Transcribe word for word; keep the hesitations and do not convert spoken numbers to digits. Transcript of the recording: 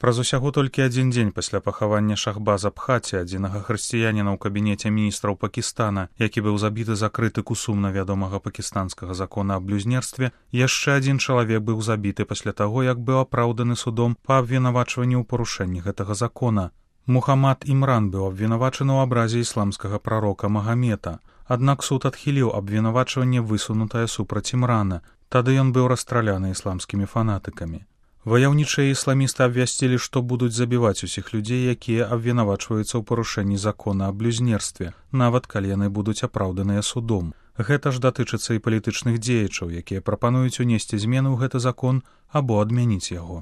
Праз усяго толькі адзін дзень пасля пахавання Шахбаза Бхати, адзінага хрысціяніна ў кабінеце міністраў Пакістана, які быў забіты за крытыку сумна вядомага пакістанскага закона аб блюзнерстве, яшчэ адзін чалавек быў забіты пасля таго, як быў апраўданы судом па абвінавачванні ў парушэнні гэтага закона. Мухаммад Імран быў абвінавачаны ў абразе ісламскага прарока Магамета, аднак суд адхіліў абвінавачванне, высунутае супраць Імрана. Тады ён быў расстраляны ісламскімі фанатыкамі. Ваяўнічыя ісламісты абвясцілі, што будуць забіваць усіх людзей, якія абвінавачваюцца ў парушэнні закона аб блюзнерстве, нават калі яны будуць апраўданыя судом. Гэта ж датычыцца і палітычных дзеячаў, якія прапануюць унесці змены ў гэты закон або адмяніць яго.